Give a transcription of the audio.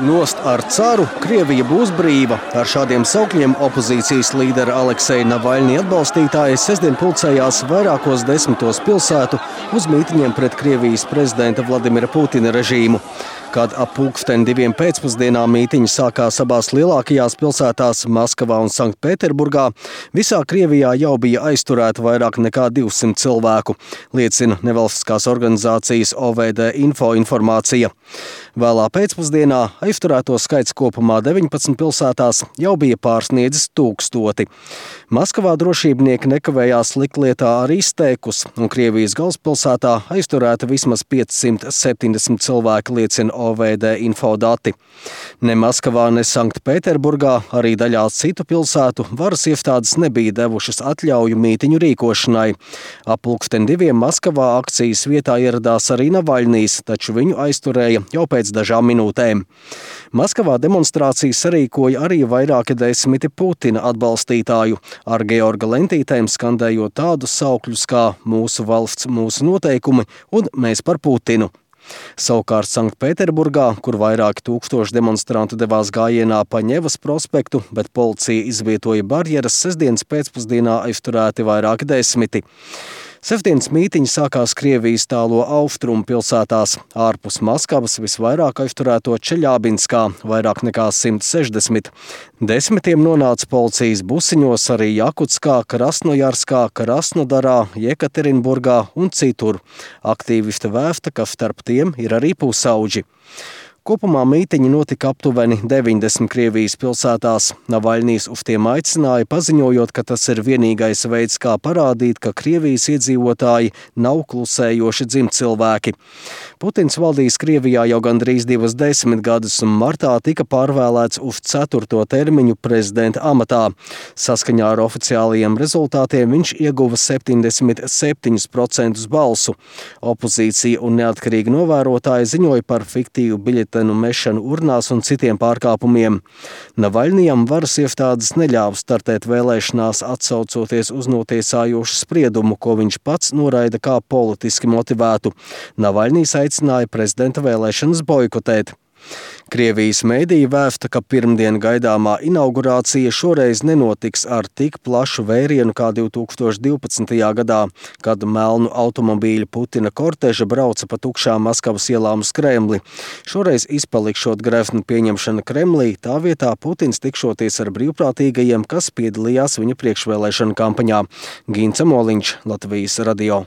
Nost ar caru, Krievija būs brīva. Ar šādiem saukļiem opozīcijas līdera Alekseja Navaļņi atbalstītāji sestdien pulcējās vairākos desmitos pilsētu uz mītiņiem pret Krievijas prezidenta Vladimira Putina režīmu. Kad ap 2:00 pēcpusdienā mītiņi sākās abās lielākajās pilsētās Maskavā un Sanktpēterburgā, visā Krievijā jau bija aizturēta vairāk nekā 200 cilvēku, liecina nevalstiskās organizācijas OVD Info informācija. Vēlā pēcpusdienā aizturēto skaits kopumā 19 pilsētās jau bija pārsniedzis 1000. Maskavā drošībnieki nekavējās likt lietā arī steikus, un Krievijas galvaspilsētā aizturēta vismaz 570 cilvēki, liecina OVD info dati. Ne Maskavā, ne Sanktpēterburgā, arī daļā citu pilsētu varas iestādes nebija devušas atļauju mītiņu rīkošanai. Ap 2:00 Maskavā akcijas vietā ieradās arī Navaļņīs, taču viņu aizturēja jau pēc dažām minūtēm. Maskavā demonstrācijas sarīkoja arī vairāki desmiti Putina atbalstītāju, ar Georga lentītēm skandējot tādus saukļus kā "Mūsu valsts, mūsu noteikumi" un "Mēs par Putinu". Savukārt Sanktpēterburgā, kur vairāki tūkstoši demonstrantu devās gājienā pa Ņevas prospektu, bet policija izvietoja barjeras, sestdienas pēcpusdienā aizturēti vairāki desmiti. Sestdienas mītiņi sākās Krievijas tālo austrumu pilsētās. Ārpus Maskavas visvairāk aizturēto Čeļabinskā, vairāk nekā 160. Desmitiem nonāca policijas busiņos arī Jakutskā, Krasnojarskā, Krasnodarā, Jekaterinburgā un citur. Aktīvisti vēsta, ka starp tiem ir arī pusauģi. Kopumā mītiņi notika aptuveni 90 Krievijas pilsētās. Navaļņīs uz tiem aicināja, paziņojot, ka tas ir vienīgais veids, kā parādīt, ka Krievijas iedzīvotāji nav klusējoši dzimtcilvēki. Putins valdīs Krievijā jau gandrīz 20 gadus, un martā tika pārvēlēts uz 4. termiņu prezidenta amatā. Saskaņā ar oficiālajiem rezultātiem viņš ieguva 77% balsu. Opozīcija un neatkarīgi novērotāji ziņoja par fiktīvu biļetenu mešanu urnās un citiem pārkāpumiem. Navaļņijam varas iestādes neļāva startēt vēlēšanās, atsaucoties uz notiesājošu spriedumu, ko viņš pats noraida kā politiski motivētu. Navaļņīs aicināja prezidenta vēlēšanas boikotēt. Krievijas mēdīji vēsta, ka pirmdien gaidāmā inaugurācija šoreiz nenotiks ar tik plašu vērienu kā 2012. gadā, kad melnu automobīļu Putina korteža brauca pa tukšām Maskavas ielām uz Kremli. Šoreiz izpalikšot grevnu pieņemšana Kremlī, tā vietā Putins tikšoties ar brīvprātīgajiem, kas piedalījās viņa priekšvēlēšana kampaņā. Gints Moliņš, Latvijas radio.